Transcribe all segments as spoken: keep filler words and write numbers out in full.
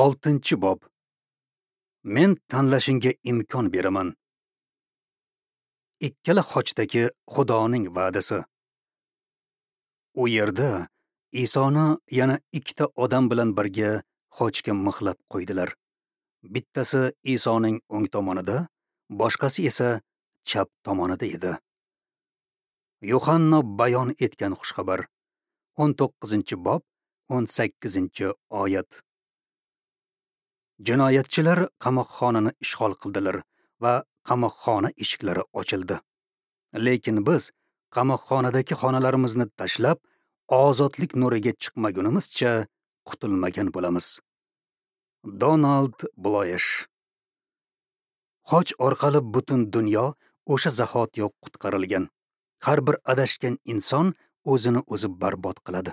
Oltinchi bob. Men tanlashingga imkon beraman. Ikkala xochdagi Xudoning va'dasi. U yerda Isoni yana ikkita odam bilan birga xochga mixlab qo'ydilar. Bittasi Isoning o'ng tomonida, boshqasi esa chap tomonida edi. Yuhanno bayon etgan xushxabar. o'n to'qqizinchi bob, o'n sakkizinchi oyat. Jinoyatchilar qamoqxonani ishg'ol qildilar va qamoqxona eshiklari ochildi. Lekin biz qamoqxonadagi xonalarimizni tashlab, ozodlik nuriga chiqmagunimizcha qutulmagan bo'lamiz. Donald Bloyesh. Xoch orqali butun dunyo o'sha zahotiyoq qutqarilgan. Har bir adashgan inson o'zini o'zi barbod qiladi.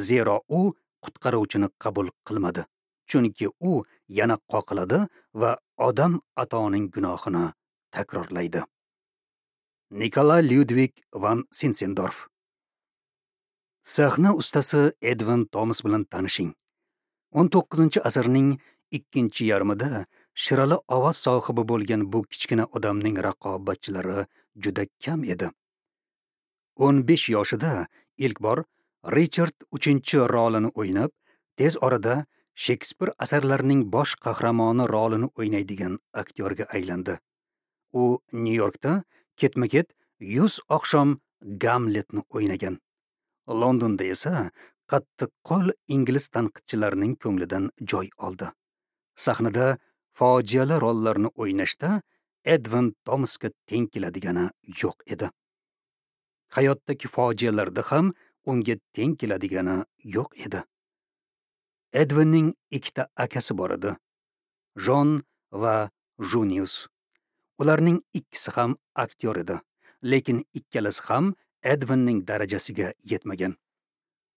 Zero u qutqaruvchini qabul qilmadi. Chunki u yana qoqiladi va odam atoning gunohini takrorlaydi. Nikolay Lyudvig van Sinsendorf. Sahna ustasi Edvin Tomas bilan tanishing. o'n to'qqizinchi asrning ikkinchi yarmida shirali ovoz sohibi bo'lgan bu kichkina odamning raqobatchilari juda kam edi. o'n besh yoshida ilk bor Richard uchinchi rolini o'ynab, tez orada Shekspir asarlarining bosh qahramoni rolini o'ynaydigan aktyorga aylandi. U Nyu-Yorkda ketma-ket yuz oqshom Gamletni o'ynagan. Londonda esa qattiqqo'l ingliz tanqidchilarining ko'nglidan joy oldi. Sahnada fojiali rollarni o'ynashda Edvin Tomasga teng keladigani yo'q edi. Hayotdagi fojialarda ham unga teng keladigani yo'q edi. Edvinning ikkita akasi bor edi, Jon va Junius. Ularning ikkisi ham aktyor edi, lekin ikkalasi ham Edvinning darajasiga yetmagan.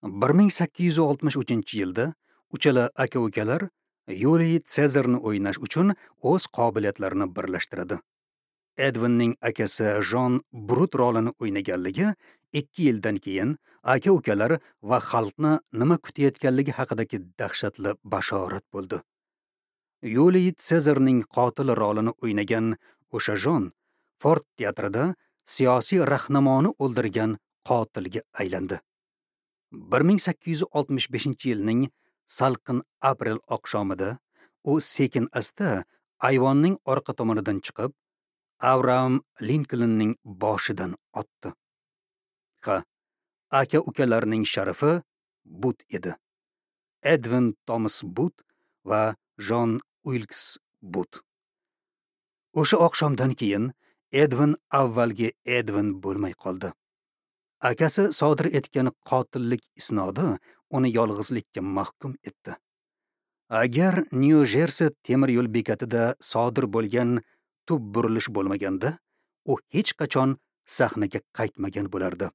bir ming sakkiz yuz oltmish uchinchi yilda uchala aka-ukalar Yuliy Sezarni o'ynash uchun o'z qobiliyatlarini birlashtiradi. Edvinning akasi Jon Brut rolini o'ynaganligi ikki yildan keyin aka-ukalar va xalqni nima kutayotganligi haqidagi dahshatli bashorat bo'ldi. Yuliy Sezarning qotil rolini o'ynagan o'sha Jon Ford teatrida siyosiy rahnamoni o'ldirgan qotilga aylandi. bir ming sakkiz yuz oltmish beshinchi yilning salqin aprel oqshomida u sekin asta ayvonning orqa tomonidan chiqib, Abraham Linkolnning boshidan otdi. Ha, aka-ukalarning sharafi But edi. Edvin Tomas But va Jon Uilks But. O'sha oqshomdan keyin Edvin avvalgi Edvin bo'lmay qoldi. Akasi sodir etgan qotillik isnodi uni yolg'izlikka mahkum etdi. Agar Nyu-Jersi temir yo'l bekatida sodir bo'lgan tub burilish bo'lmaganda, u hech qachon sahnaga qaytmagan bo'lardi.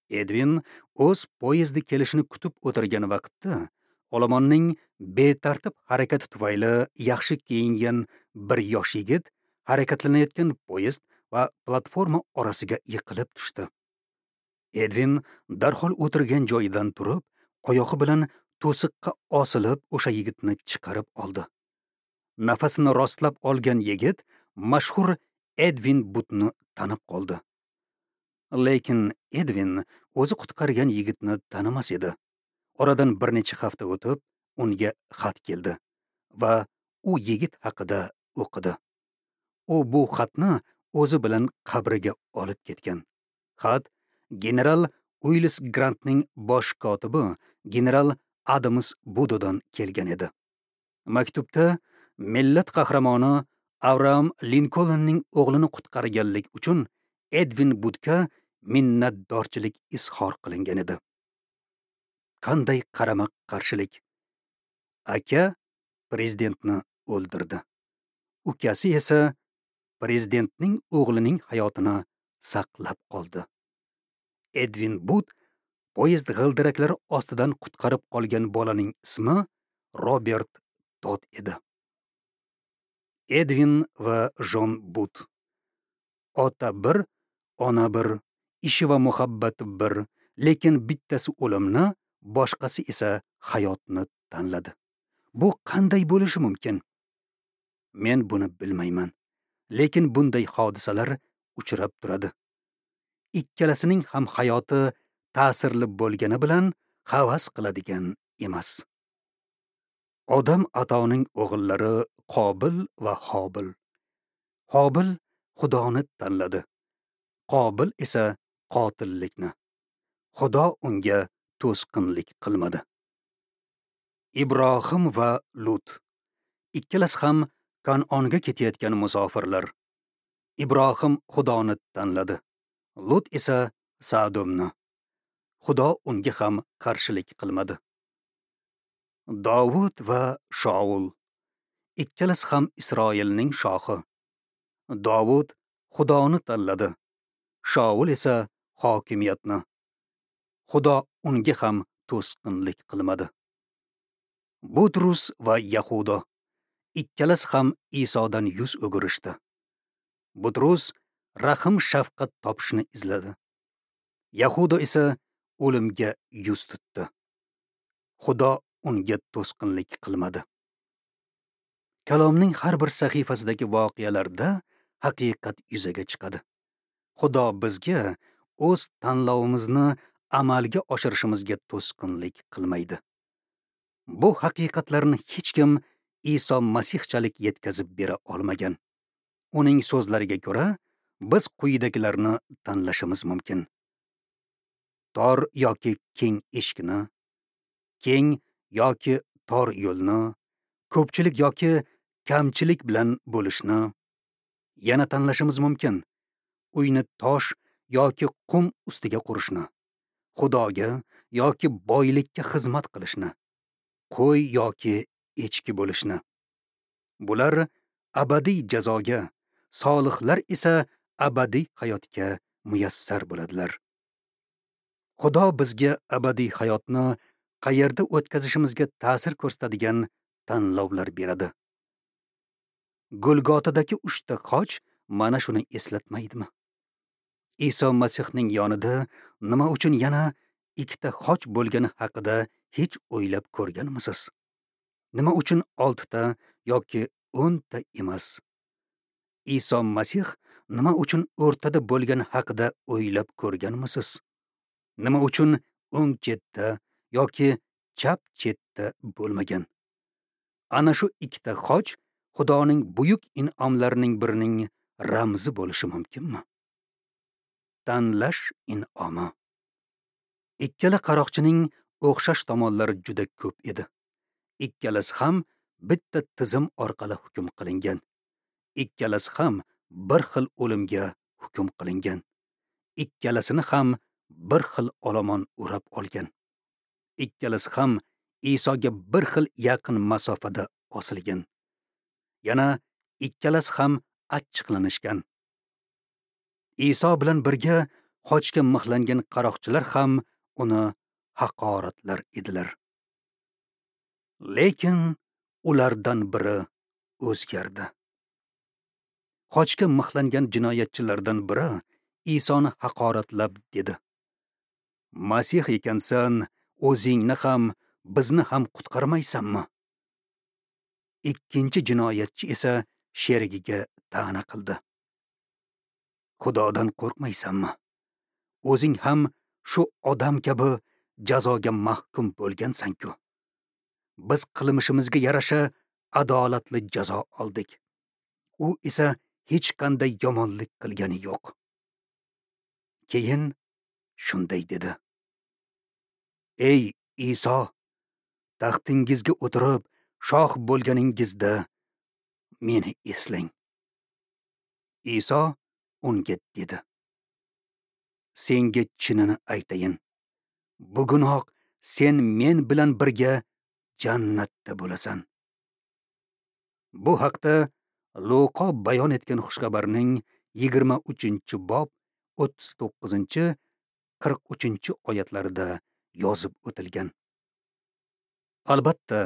Edvin o'z poyezdi kelishini kutib o'tirgan vaqtda olomonning betartib harakati tufayli yaxshi kiyingan bir yosh yigit harakatlanayotgan poyezd va platforma orasiga yiqilib tushdi. Edvin darhol o'tirgan joyidan turib, oyog'i bilan to'siqqa osilib o'sha yigitni chiqarib oldi. Nafasini rostlab olgan yigit mashhur Edvin Butni tanib qoldi. Lekin Edvin o'zi qutqargan yigitni tanimas edi. Oradan bir necha hafta o'tib, unga xat keldi va u yigit haqida o'qidi. U bu xatni o'zi bilan qabriga olib ketgan. Xat general Uilis Grantning bosh kotibi general Adams Budodan kelgan edi. Maktubda millat qahramoni Abraham Linkolnning o'g'lini qutqarganlik uchun Edvin Butka minnatdorchilik izhor qilingan edi. Qanday qarama-qarshilik! Aka prezidentni o'ldirdi. Ukasi esa prezidentning o'g'lining hayotini saqlab qoldi. Edvin But poyezd g'ildiraklari ostidan qutqarib qolgan bolaning ismi Robert Todd edi. Edvin va Jon But. Ota bir, ona bir, ishi va muhabbati bir, lekin bittasi o'limni, boshqasi esa hayotni tanladi. Bu qanday bo'lishi mumkin? Men buni bilmayman, lekin bunday hodisalar uchrab turadi. Ikkalasining ham hayoti ta'sirli bo'lgani bilan havas qiladigan emas. Odam atoning o'g'illari Qobil va Hobil. Hobil Xudoni tanladi. Qobil esa qotillikni. Xudo unga to'sqinlik qilmadi. Ibrohim va Lut. Ikkalasi ham Kanonga ketayotgan musofirlar. Ibrohim Xudoni tanladi. Lut esa Sadomni. Xudo unga ham qarshilik qilmadi. Davud va Shaul. Ikkalasi ham Isroilning shohi. Davud Xudoni tanladi. Shaul esa hokimiyatni. Xudo unga ham to'sqinlik qilmadi. Butrus va Yahudo. Ikkalasi ham Isodan yuz o'girishdi. Butrus rahm shafqat topishni izladi. Yahudo esa o'limga yuz tutdi. Xudo unga to'sqinlik qilmadi. Kalomning har bir sahifasidagi voqealarda haqiqat yuzaga chiqadi. Xudo bizga o'z tanlovimizni amalga oshirishimizga to'sqinlik qilmaydi. Bu haqiqatlarni hech kim Iso Masihchalik yetkazib bera olmagan. Uning so'zlariga ko'ra, biz quyidagilarni tanlashimiz mumkin. Tor yoki keng eshikni, keng yoki tor yo'lni, ko'pchilik yoki kamchilik bilan bo'lishni yana tanlashimiz mumkin. Uyni tosh yoki qum ustiga qurishni, Xudoga yoki boylikka xizmat qilishni, qo'y yoki echki bo'lishni. Bular abadiy jazoga, solihlar esa abadiy hayotga muyassar bo'ladilar. Xudo bizga abadiy hayotni qayerda o'tkazishimizga ta'sir ko'rsatadigan tanlovlar beradi. Golgotadagi uchta xoch mana shuni eslatmaydimi? Iso Masihning yonida nima uchun yana ikkita xoch bo'lgani haqida hech o'ylab ko'rganmisiz? Nima uchun oltita yoki o'nta emas? Iso Masih nima uchun o'rtada bo'lgani haqida o'ylab ko'rganmisiz? Nima uchun o'ng chetda yoki chap chetda bo'lmagan? Ana shu ikkita xoch Xudoning buyuk in'omlarining birining ramzi bo'lishi mumkinmi? Tanlash in'omi. Ikkala qaroqchining o'xshash tomonlari juda ko'p edi. Ikkalasi ham bitta tizim orqali hukm qilingan. Ikkalasi ham bir xil o'limga hukm qilingan. Ikkalasini ham bir xil olomon o'rab olgan. Ikkalasi ham Isoga bir xil yaqin masofada osilgan. Yana ikkalasi ham achchiqlanishgan. Iso bilan birga xochga mixlangan qaroqchilar ham uni haqoratlar edilar. Lekin ulardan biri o'zgardi. Xochga mixlangan jinoyatchilardan biri Isoni haqoratlab dedi: Masih ekansan, o'zingni ham, bizni ham qutqarmaysanmi? Ikkinchi jinoyatchi esa sherigiga ta'na qildi: Xudodan qo'rqmaysanmi? O'zing ham shu odam kabi jazoga mahkum bo'lgansan-ku. Biz qilmishimizga yarasha adolatli jazo oldik. U esa hech qanday yomonlik qilgani yo'q. Keyin shunday dedi: Ey Iso, taxtingizga o'tirib shoh bo'lganingizda meni eslang. Iso unga dedi: Senga chinini aytayin, bugunoq sen men bilan birga jannatda bo'lasan. Bu haqda Luqo bayon etgan xushxabarning yigirma uchinchi bob o'ttiz to'qqizinchi qirq uchinchi oyatlarida yozib o'tilgan. Albatta,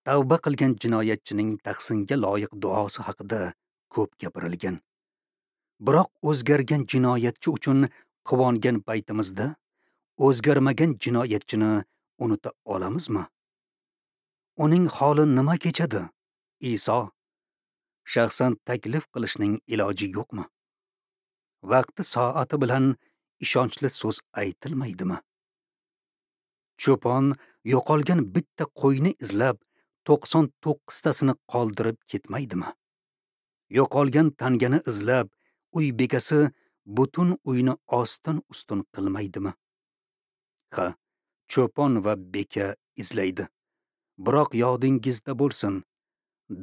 tavba qilgan jinoyatchining tahsinga loyiq duosi haqida ko'p gapirilgan. Biroq o'zgargan jinoyatchi uchun quvongan paytimizda o'zgarmagan jinoyatchini unuta olamizmi? Uning holi nima kechadi, Iso? Shaxsan taklif qilishning iloji yo'qmi? Vaqti soati bilan ishonchli so'z aytilmaydimi? Cho'pon yo'qolgan bitta qo'yni izlab to'qson to'qqiztasini qoldirib ketmaydimi? Yo'qolgan tangani izlab uy bekasi butun uyni ostin-ustun qilmaydimi? Ha, cho'pon va beka izlaydi. Biroq yodingizda bo'lsin,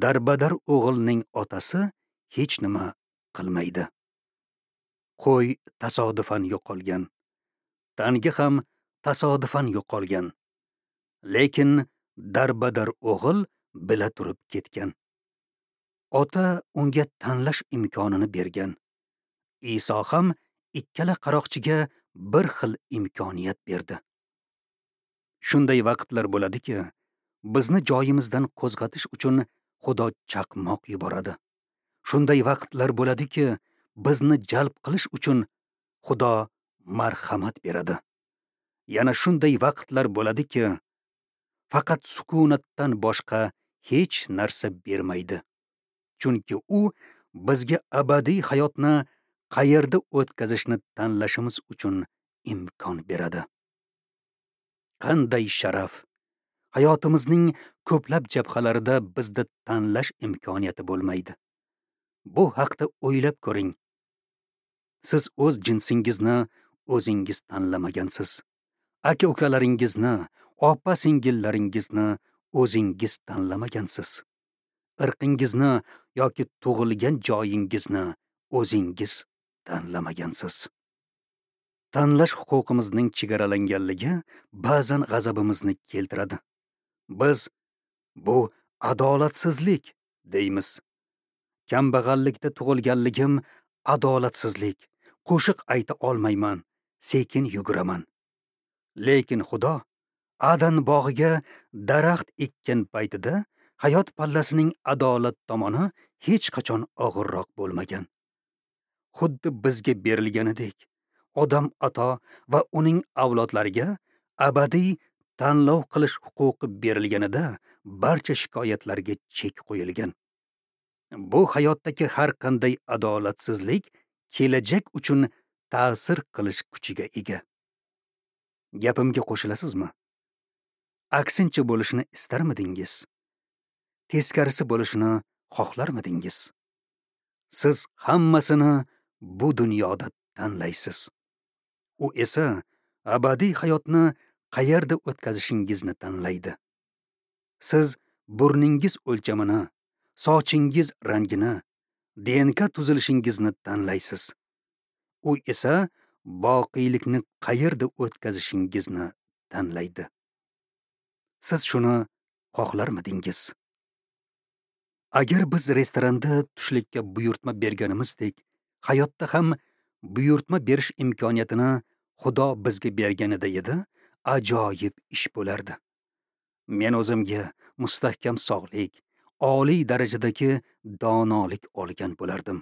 darbadar o'g'ilning otasi hech nima qilmaydi. Qo'y tasodifan yo'qolgan, tanga ham tasodifan yo'qolgan. Lekin darbadar o'g'il bila turib ketgan. Ota unga tanlash imkonini bergan. Iso ham ikkala qaroqchiga bir xil imkoniyat berdi. Shunday vaqtlar bo'ladiki, bizni joyimizdan qo'zg'atish uchun Xudo chaqmoq yuboradi. Shunday vaqtlar bo'ladiki, bizni jalb qilish uchun Xudo marhamat beradi. Yana shunday vaqtlar bo'ladiki, faqat sukunatdan boshqa hech narsa bermaydi. Chunki u bizga abadiy hayotni qayerda o'tkazishni tanlashimiz uchun imkon beradi. Qanday sharaf! Hayotimizning ko'plab jabhalarida bizda tanlash imkoniyati bo'lmaydi. Bu haqda o'ylab ko'ring. Siz o'z jinsingizni o'zingiz tanlamagansiz. Aka-ukalaringizni, opa-singillaringizni o'zingiz tanlamagansiz. Irqingizni yoki tug'ilgan joyingizni o'zingiz tanlamagansiz. Tanlash huquqimizning chegaralanganligi ba'zan g'azabimizni keltiradi. Biz bu adolatsizlik deymiz. Kambag'allikda tug'ilganligim adolatsizlik. Qo'shiq ayta olmayman, sekin yuguraman. Lekin Xudo Adan bog'iga daraxt ekkan paytida hayot pallasining adolat tomoni hech qachon og'irroq bo'lmagan. Xuddi bizga berilganidek, odam ato va uning avlodlariga abadiy tanlov qilish huquqi berilganida barcha shikoyatlarga chek qo'yilgan. Bu hayotdagi har qanday adolatsizlik kelajak uchun ta'sir qilish kuchiga ega. Gapimga qo'shilasizmi? Aksincha bo'lishini istarmidingiz? Teskarisi bo'lishini xohlarmidingiz? Siz hammasini bu dunyoda tanlaysiz. U esa abadiy hayotni qayerda o'tkazishingizni tanlaydi. Siz burningiz o'lchamini, sochingiz rangini, D N K tuzilishingizni tanlaysiz. U esa boqiylikni qayerda o'tkazishingizni tanlaydi. Siz shuni xohlarmidingiz? Agar biz restoranda tushlikka buyurtma berganimizdek, hayotda ham buyurtma berish imkoniyatini Xudo bizga berganida edi, ajoyib ish bo'lardi. Men o'zimga mustahkam sog'lik, oliy darajadagi donolik olgan bo'lardim.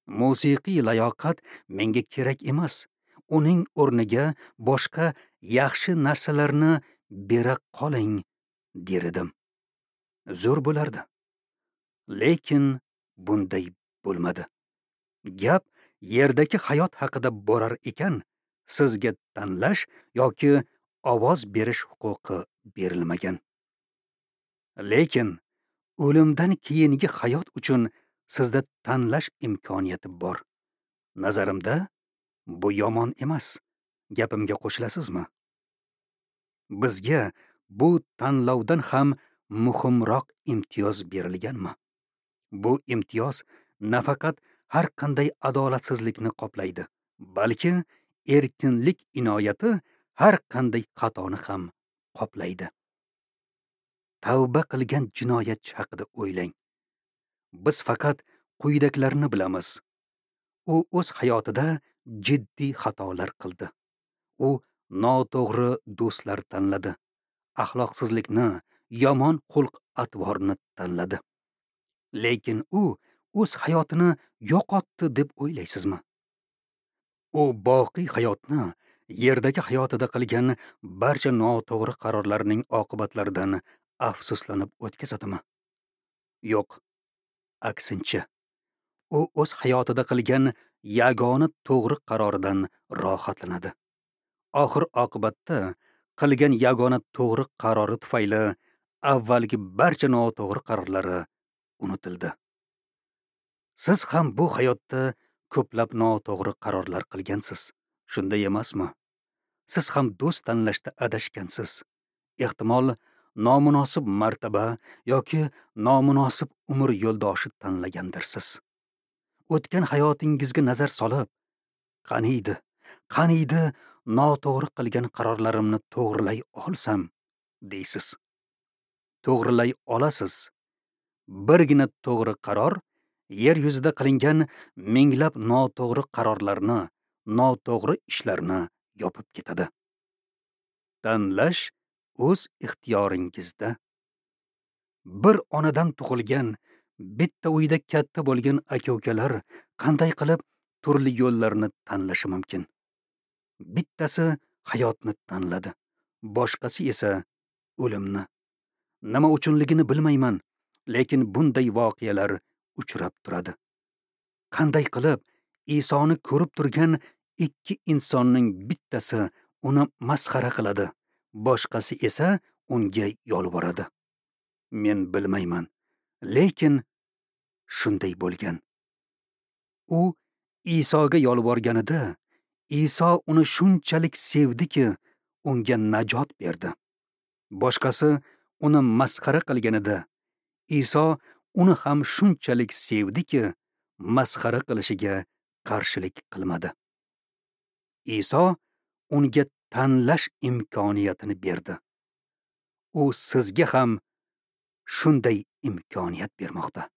Musiqiy layoqat menga kerak emas. Uning o'rniga boshqa yaxshi narsalarni bera qoling der edim. Zo'r bo'lardi. Lekin bunday bo'lmadi. Gap yerdagi hayot haqida borar ekan, sizga tanlash yoki ovoz berish huquqi berilmagan. Lekin o'limdan keyingi hayot uchun sizda tanlash imkoniyati bor. Nazarimda bu yomon emas. Gapimga qo'shilasizmi? Bizga bu tanlovdan ham muhimroq imtiyoz berilganmi? Bu imtiyoz nafaqat har qanday adolatsizlikni qoplaydi, balki erkinlik inoyati har qanday xatoni ham qoplaydi. Tavba qilgan jinoyatchi haqida o'ylang. Biz faqat quyidagilarni bilamiz. U o'z hayotida jiddiy xatolar qildi. U noto'g'ri do'stlar tanladi. Axloqsizlikni, yomon xulq-atvorni tanladi. Lekin u o'z hayotini yo'qotdi deb o'ylaysizmi? U boqiy hayotni yerdagi hayotida qilgan barcha noto'g'ri qarorlarning oqibatlaridan afsuslanib o'tkazadimi? Yo'q, aksincha, u o'z hayotida qilgan yagona to'g'ri qaroridan rohatlanadi. Oxir oqibatda qilgan yagona to'g'ri qarori tufayli avvalgi barcha noto'g'ri qarorlari unutildi. Siz ham bu hayotda ko'plab noto'g'ri qarorlar qilgansiz, shunday emasmi? Siz ham do'st tanlashda adashgansiz. Ehtimol, nomunosib martaba yoki nomunosib umr yo'ldoshi tanlagandirsiz. O'tgan hayotingizga nazar solib, qaniydi, qaniydi noto'g'ri qilgan qarorlarimni to'g'rilay olsam, deysiz. To'g'rilay olasiz. Birgina to'g'ri qaror yer yuzida qilingan minglab noto'g'ri qarorlarni, noto'g'ri ishlarni yopib ketadi. Tanlash o'z ixtiyoringizda. Bir onadan tug'ilgan, bitta uyda katta bo'lgan aka-ukalar qanday qilib turli yo'llarni tanlashi mumkin? Bittasi hayotni tanladi, boshqasi esa o'limni. Nima uchunligini bilmayman, lekin bunday voqealar uchrab turadi. Qanday qilib Isoni ko'rib turgan ikki insonning bittasi uni masxara qiladi, boshqasi esa unga yolvoradi? Men bilmayman, lekin shunday bo'lgan. U Isoga yolvorganida, Iso uni shunchalik sevdiki, unga najot berdi. Boshqasi uni masxara qilganida, Iso uni ham shunchalik sevdiki, masxara qilishiga qarshilik qilmadi. Iso unga tanlash imkoniyatini berdi. U sizga ham shunday imkoniyat bermoqda.